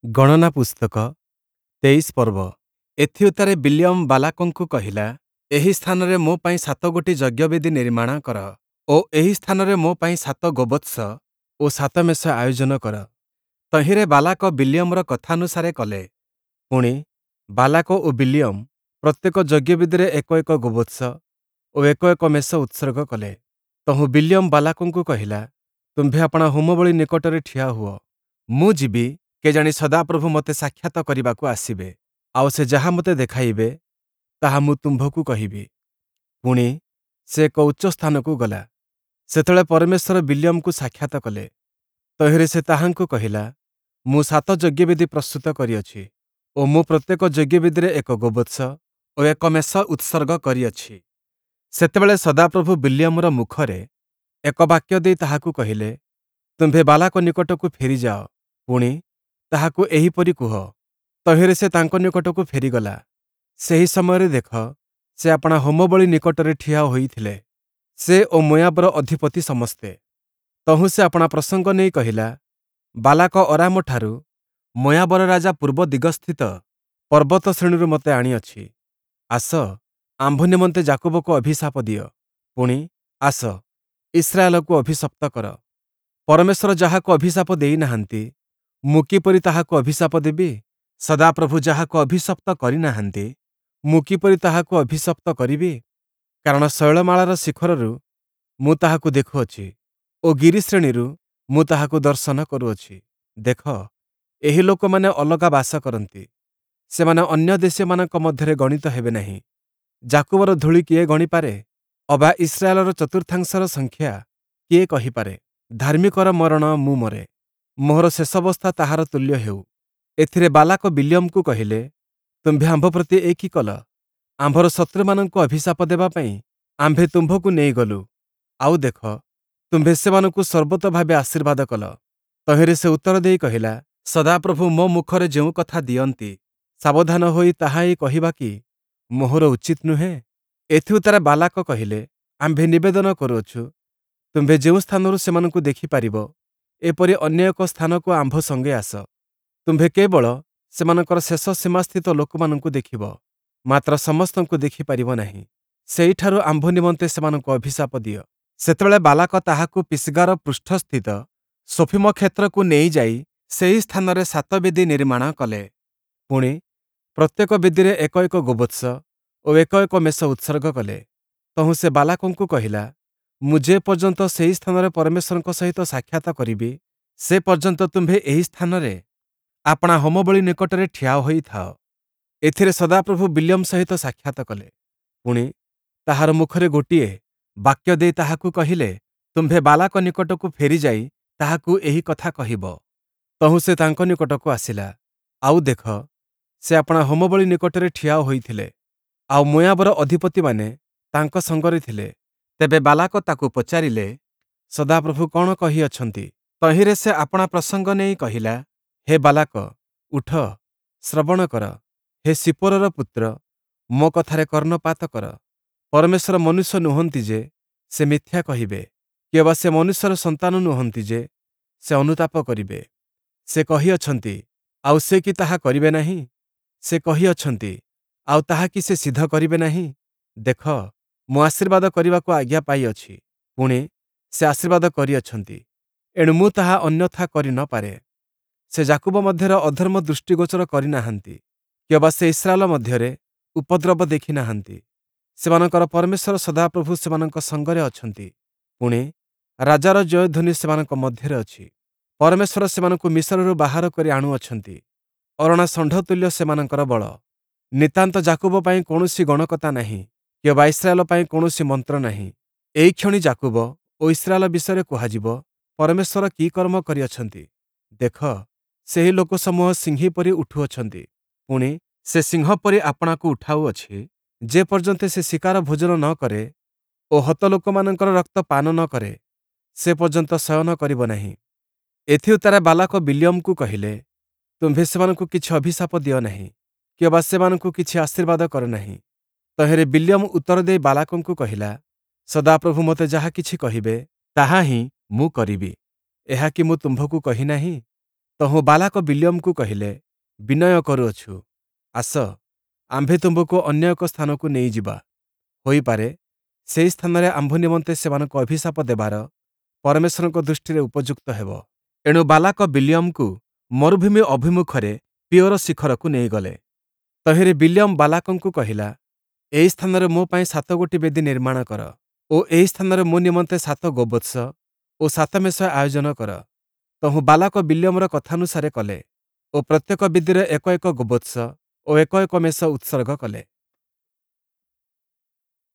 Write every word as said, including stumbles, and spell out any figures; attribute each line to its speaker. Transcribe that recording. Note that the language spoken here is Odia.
Speaker 1: ଗଣନା ପୁସ୍ତକ, ତେଇଶ ପର୍ବ। ଏଥିଉତ୍ତାରେ ବିଲିୟମ ବାଲାକଙ୍କୁ କହିଲା, ଏହି ସ୍ଥାନରେ ମୋ ପାଇଁ ସାତଗୋଟି ଯଜ୍ଞବେଦି ନିର୍ମାଣ କର ଓ ଏହି ସ୍ଥାନରେ ମୋ ପାଇଁ ସାତ ଗୋବତ୍ସ ଓ ସାତ ମେଷ ଆୟୋଜନ କର। ତହିଁରେ ବାଲାକ ବିଲିୟମର କଥାନୁସାରେ କଲେ। ପୁଣି, ବାଲାକ ଓ ବିଲିୟମ ପ୍ରତ୍ୟେକ ଯଜ୍ଞବେଦିରେ ଏକ ଏକ ଗୋବତ୍ସ ଓ ଏକ ଏକ ମେଷ ଉତ୍ସର୍ଗ କଲେ। ତହୁଁ ବିଲିୟମ ବାଲାକଙ୍କୁ କହିଲା, ତୁମ୍ଭେ ଆପଣା ହୋମବଳି ନିକଟରେ ଠିଆ ହୁଅ, ମୁଁ ଯିବି, କେଜାଣି ସଦାପ୍ରଭୁ ମୋତେ ସାକ୍ଷାତ କରିବାକୁ ଆସିବେ, ଆଉ ସେ ଯାହା ମୋତେ ଦେଖାଇବେ, ତାହା ମୁଁ ତୁମ୍ଭକୁ କହିବି। ପୁଣି, ସେ ଏକ ଉଚ୍ଚ ସ୍ଥାନକୁ ଗଲା। ସେତେବେଳେ ପରମେଶ୍ୱର ବିଲିୟମକୁ ସାକ୍ଷାତ କଲେ। ତହିଁରେ ସେ ତାହାଙ୍କୁ କହିଲା, ମୁଁ ସାତ ଯଜ୍ଞବେଦି ପ୍ରସ୍ତୁତ କରିଅଛି ଓ ମୁଁ ପ୍ରତ୍ୟେକ ଯଜ୍ଞବେଦିରେ ଏକ ଗୋବତ୍ସ ଓ ଏକ ମେଷ ଉତ୍ସର୍ଗ କରିଅଛି। ସେତେବେଳେ ସଦାପ୍ରଭୁ ବିଲିୟମର ମୁଖରେ ଏକ ବାକ୍ୟ ଦେଇ ତାହାକୁ କହିଲେ, ତୁମ୍ଭେ ବାଲାକ ନିକଟକୁ ଫେରିଯାଅ, ପୁଣି, ତାହାକୁ ଏହିପରି କୁହ। ତହିଁରେ ସେ ତାଙ୍କ ନିକଟକୁ ଫେରିଗଲା। ସେହି ସମୟରେ ଦେଖ, ସେ ଆପଣା ହୋମବଳି ନିକଟରେ ଠିଆ ହୋଇଥିଲେ, ସେ ଓ ମୋୟାବର ଅଧିପତି ସମସ୍ତେ। ତହୁଁ ସେ ଆପଣା ପ୍ରସଙ୍ଗ ନେଇ କହିଲା, ବାଲାକ ଅରାମଠାରୁ ମୋୟାବର ରାଜା ପୂର୍ବ ଦିଗସ୍ଥିତ ପର୍ବତ ଶ୍ରେଣୀରୁ ମୋତେ ଆଣିଅଛି। ଆସ, ଆମ୍ଭ ନିମନ୍ତେ ଯାକୁବକୁ ଅଭିଶାପ ଦିଅ, ପୁଣି, ଆସ, ଇସ୍ରାଏଲକୁ ଅଭିଶପ୍ତ କର। ପରମେଶ୍ୱର ଯାହାକୁ ଅଭିଶାପ ଦେଇନାହାନ୍ତି, ମୁଁ କିପରି ତାହାକୁ ଅଭିଶାପ ଦେବି? ସଦାପ୍ରଭୁ ଯାହାକୁ ଅଭିଶପ୍ତ କରିନାହାନ୍ତି, ମୁଁ କିପରି ତାହାକୁ ଅଭିଶପ୍ତ କରିବି? କାରଣ ଶୈଳମାଳାର ଶିଖରରୁ ମୁଁ ତାହାକୁ ଦେଖୁଅଛି ଓ ଗିରିଶ୍ରେଣୀରୁ ମୁଁ ତାହାକୁ ଦର୍ଶନ କରୁଅଛି। ଦେଖ, ଏହି ଲୋକମାନେ ଅଲଗା ବାସ କରନ୍ତି, ସେମାନେ ଅନ୍ୟ ଦେଶୀୟମାନଙ୍କ ମଧ୍ୟରେ ଗଣିତ ହେବେ ନାହିଁ। ଯାକୁବର ଧୂଳି କିଏ ଗଣିପାରେ? ଅବା ଇସ୍ରାଏଲର ଚତୁର୍ଥାଂଶର ସଂଖ୍ୟା କିଏ କହିପାରେ? ଧାର୍ମିକର ମରଣ ମୁଁ ମରେ, ମୋହର ଶେଷାବସ୍ଥା ତାହାର ତୁଲ୍ୟ ହେଉ। ଏଥିରେ ବାଲାକ ବିଲିୟମକୁ କହିଲେ, ତୁମ୍ଭେ ଆମ୍ଭ ପ୍ରତି ଏ କି କଲ? ଆମ୍ଭର ଶତ୍ରୁମାନଙ୍କୁ ଅଭିଶାପ ଦେବା ପାଇଁ ଆମ୍ଭେ ତୁମ୍ଭକୁ ନେଇଗଲୁ, ଆଉ ଦେଖ, ତୁମ୍ଭେ ସେମାନଙ୍କୁ ସର୍ବତୋଭାବେ ଆଶୀର୍ବାଦ କଲ। ତହିଁରେ ସେ ଉତ୍ତର ଦେଇ କହିଲା, ସଦାପ୍ରଭୁ ମୋ ମୁଖରେ ଯେଉଁ କଥା ଦିଅନ୍ତି, ସାବଧାନ ହୋଇ ତାହା ହିଁ କହିବା କି ମୋହର ଉଚିତ ନୁହେଁ? ଏଥିଉତ୍ତାରେ ବାଲାକ କହିଲେ, ଆମ୍ଭେ ନିବେଦନ କରୁଅଛୁ, ତୁମ୍ଭେ ଯେଉଁ ସ୍ଥାନରୁ ସେମାନଙ୍କୁ ଦେଖିପାରିବ, ଏପରି ଅନ୍ୟ ଏକ ସ୍ଥାନକୁ ଆମ୍ଭ ସଙ୍ଗେ ଆସ। ତୁମ୍ଭେ କେବଳ ସେମାନଙ୍କର ଶେଷ ସୀମାସ୍ଥିତ ଲୋକମାନଙ୍କୁ ଦେଖିବ, ମାତ୍ର ସମସ୍ତଙ୍କୁ ଦେଖିପାରିବ ନାହିଁ। ସେହିଠାରୁ ଆମ୍ଭ ନିମନ୍ତେ ସେମାନଙ୍କୁ ଅଭିଶାପ ଦିଅ। ସେତେବେଳେ ବାଲାକ ତାହାକୁ ପିସ୍ଗାର ପୃଷ୍ଠସ୍ଥିତ ସୋଫୀମ କ୍ଷେତ୍ରକୁ ନେଇଯାଇ ସେହି ସ୍ଥାନରେ ସାତ ବେଦି ନିର୍ମାଣ କଲେ। ପୁଣି, ପ୍ରତ୍ୟେକ ବେଦିରେ ଏକ ଏକ ଗୋବତ୍ସ ଓ ଏକ ଏକ ମେଷ ଉତ୍ସର୍ଗ କଲେ। ତହୁଁ ସେ ବାଲାକଙ୍କୁ କହିଲା, ମୁଁ ଯେ ପର୍ଯ୍ୟନ୍ତ ସେହି ସ୍ଥାନରେ ପରମେଶ୍ୱରଙ୍କ ସହିତ ସାକ୍ଷାତ କରିବି, ସେ ପର୍ଯ୍ୟନ୍ତ ତୁମ୍ଭେ ଏହି ସ୍ଥାନରେ ଆପଣା ହୋମବଳି ନିକଟରେ ଠିଆ ହୋଇଥାଅ। ଏଥିରେ ସଦାପ୍ରଭୁ ବିଲିୟମ ସହିତ ସାକ୍ଷାତ କଲେ। ପୁଣି, ତାହାର ମୁଖରେ ଗୋଟିଏ ବାକ୍ୟ ଦେଇ ତାହାକୁ କହିଲେ, ତୁମ୍ଭେ ବାଲାକ ନିକଟକୁ ଫେରିଯାଇ ତାହାକୁ ଏହି କଥା କହିବ। ତହୁଁ ସେ ତାଙ୍କ ନିକଟକୁ ଆସିଲା, ଆଉ ଦେଖ, ସେ ଆପଣା ହୋମବଳି ନିକଟରେ ଠିଆ ହୋଇଥିଲେ, ଆଉ ମୋୟାବର ଅଧିପତିମାନେ ତାଙ୍କ ସଙ୍ଗରେ ଥିଲେ। ତେବେ ବାଲାକ ତାକୁ ପଚାରିଲେ, ସଦାପ୍ରଭୁ କ'ଣ କହିଅଛନ୍ତି? ତହିଁରେ ସେ ଆପଣା ପ୍ରସଙ୍ଗ ନେଇ କହିଲା, ହେ ବାଲାକ, ଉଠ, ଶ୍ରବଣ କର। ହେ ସିପୋରର ପୁତ୍ର, ମୋ କଥାରେ କର୍ଣ୍ଣପାତ କର। ପରମେଶ୍ୱର ମନୁଷ୍ୟ ନୁହନ୍ତି ଯେ ସେ ମିଥ୍ୟା କହିବେ, କିଅବା ସେ ମନୁଷ୍ୟର ସନ୍ତାନ ନୁହନ୍ତି ଯେ ସେ ଅନୁତାପ କରିବେ। ସେ କହିଅଛନ୍ତି, ଆଉ ସେ କି ତାହା କରିବେ ନାହିଁ? ସେ କହିଅଛନ୍ତି, ଆଉ ତାହା କି ସେ ସିଦ୍ଧ କରିବେ ନାହିଁ? ଦେଖ, ମୁଁ ଆଶୀର୍ବାଦ କରିବାକୁ ଆଜ୍ଞା ପାଇଅଛି, ପୁଣି, ସେ ଆଶୀର୍ବାଦ କରିଅଛନ୍ତି, ଏଣୁ ମୁଁ ତାହା ଅନ୍ୟଥା କରି ନ ପାରେ। ସେ ଯାକୁବ ମଧ୍ୟରେ ଅଧର୍ମ ଦୃଷ୍ଟିଗୋଚର କରିନାହାନ୍ତି, କିଅବା ସେ ଇସ୍ରାଏଲ ମଧ୍ୟରେ ଉପଦ୍ରବ ଦେଖିନାହାନ୍ତି। ସେମାନଙ୍କର ପରମେଶ୍ୱର ସଦାପ୍ରଭୁ ସେମାନଙ୍କ ସଙ୍ଗରେ ଅଛନ୍ତି, ପୁଣି, ରାଜାର ଜୟଧ୍ୱନି ସେମାନଙ୍କ ମଧ୍ୟରେ ଅଛି। ପରମେଶ୍ୱର ସେମାନଙ୍କୁ ମିଶରରୁ ବାହାର କରି ଆଣୁଅଛନ୍ତି, ଅରଣା ଷଣ୍ଢ ତୁଲ୍ୟ ସେମାନଙ୍କର ବଳ। ନିତାନ୍ତ ଯାକୁବ ପାଇଁ କୌଣସି ଗଣକତା ନାହିଁ, କିଅବା ଇସ୍ରାଏଲ ପାଇଁ କୌଣସି ମନ୍ତ୍ର ନାହିଁ। ଏହିକ୍ଷଣି ଯାକୁବ ଓ ଇସ୍ରାଏଲ ବିଷୟରେ କୁହାଯିବ, ପରମେଶ୍ୱର କି କର୍ମ କରିଅଛନ୍ତି! ଦେଖ, ସେହି ଲୋକସମୂହ ସିଂହୀ ପରି ଉଠୁଅଛନ୍ତି, ପୁଣି, ସେ ସିଂହ ପରି ଆପଣାକୁ ଉଠାଉଅଛି, ଯେ ପର୍ଯ୍ୟନ୍ତ ସେ ଶିକାର ଭୋଜନ ନ କରେ ଓ ହତ ଲୋକମାନଙ୍କର ରକ୍ତ ପାନ ନ କରେ, ସେ ପର୍ଯ୍ୟନ୍ତ ଶୟନ କରିବ ନାହିଁ। ଏଥିଉତ୍ତାରେ ବାଲାକ ବିଲିୟମକୁ କହିଲେ, ତୁମ୍ଭେ ସେମାନଙ୍କୁ କିଛି ଅଭିଶାପ ଦିଅ ନାହିଁ, କିଅବା ସେମାନଙ୍କୁ କିଛି ଆଶୀର୍ବାଦ କର ନାହିଁ। ତହିଁରେ ବିଲିୟମ ଉତ୍ତର ଦେଇ ବାଲାକଙ୍କୁ କହିଲା, ସଦାପ୍ରଭୁ ମୋତେ ଯାହା କିଛି କହିବେ, ତାହା ହିଁ ମୁଁ କରିବି। ଏହା କି ମୁଁ ତୁମ୍ଭକୁ କହିନାହିଁ? ତହୁଁ ବାଲାକ ବିଲିୟମକୁ କହିଲେ, ବିନୟ କରୁଅଛୁ, ଆସ, ଆମ୍ଭେ ତୁମ୍ଭକୁ ଅନ୍ୟ ଏକ ସ୍ଥାନକୁ ନେଇଯିବା। ହୋଇପାରେ, ସେହି ସ୍ଥାନରେ ଆମ୍ଭ ନିମନ୍ତେ ସେମାନଙ୍କୁ ଅଭିଶାପ ଦେବାର ପରମେଶ୍ୱରଙ୍କ ଦୃଷ୍ଟିରେ ଉପଯୁକ୍ତ ହେବ। ଏଣୁ ବାଲାକ ବିଲିୟମକୁ ମରୁଭୂମି ଅଭିମୁଖରେ ପିୟୋର ଶିଖରକୁ ନେଇଗଲେ। ତହିଁରେ ବିଲିୟମ ବାଲାକଙ୍କୁ କହିଲା, ଏହି ସ୍ଥାନରେ ମୋ ପାଇଁ ସାତଗୋଟି ବେଦି ନିର୍ମାଣ କର ଓ ଏହି ସ୍ଥାନରେ ମୋ ନିମନ୍ତେ ସାତ ଗୋବତ୍ସ ଓ ସାତ ମେଷ ଆୟୋଜନ କର। ତହୁଁ ବାଲାକ ବିଲିୟମର କଥାନୁସାରେ କଲେ ଓ ପ୍ରତ୍ୟେକ ବେଦିରେ ଏକ ଏକ ଗୋବତ୍ସ ଓ ଏକ ଏକ ମେଷ ଉତ୍ସର୍ଗ କଲେ।